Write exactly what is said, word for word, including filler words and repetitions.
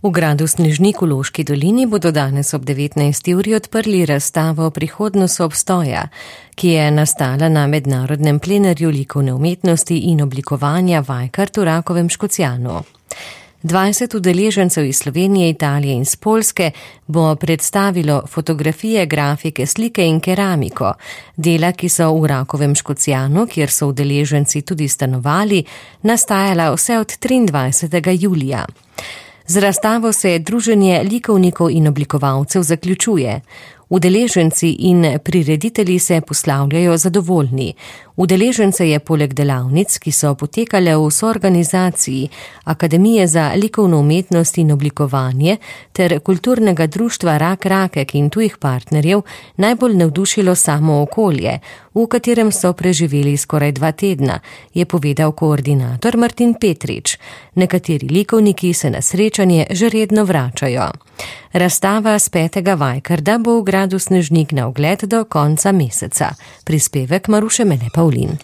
V gradu Snežnik v Loški dolini bodo danes ob devetnajsti uri odprli razstavo Prihodnost obstoja, ki je nastala na mednarodnem plenarju likovne umetnosti in oblikovanja Vajkard v Rakovem Škocjanu. dvajset udeležencev iz Slovenije, Italije in z Poljske bo predstavilo fotografije, grafike, slike in keramiko, dela, ki so v Rakovem Škocjanu, kjer so udeleženci tudi stanovali, nastajala vse od triindvajsetega julija. Z razstavo se druženje likovnikov in oblikovalcev zaključuje. Udeleženci in prireditelji se poslavljajo zadovoljni. Udeležence je poleg delavnic, ki so potekale v soorganizaciji Akademije za likovno umetnost in oblikovanje ter kulturnega društva Rak Rakek in tujih partnerjev, najbolj navdušilo samo okolje, v katerem so preživeli skoraj dva tedna, je povedal koordinator Martin Petrič. Nekateri likovniki se na srečanje že redno vračajo. Razstava s petega Vajkarda bo v gradu Snežnik na ogled do konca meseca. Prispevek Maruše Mene Pavlin.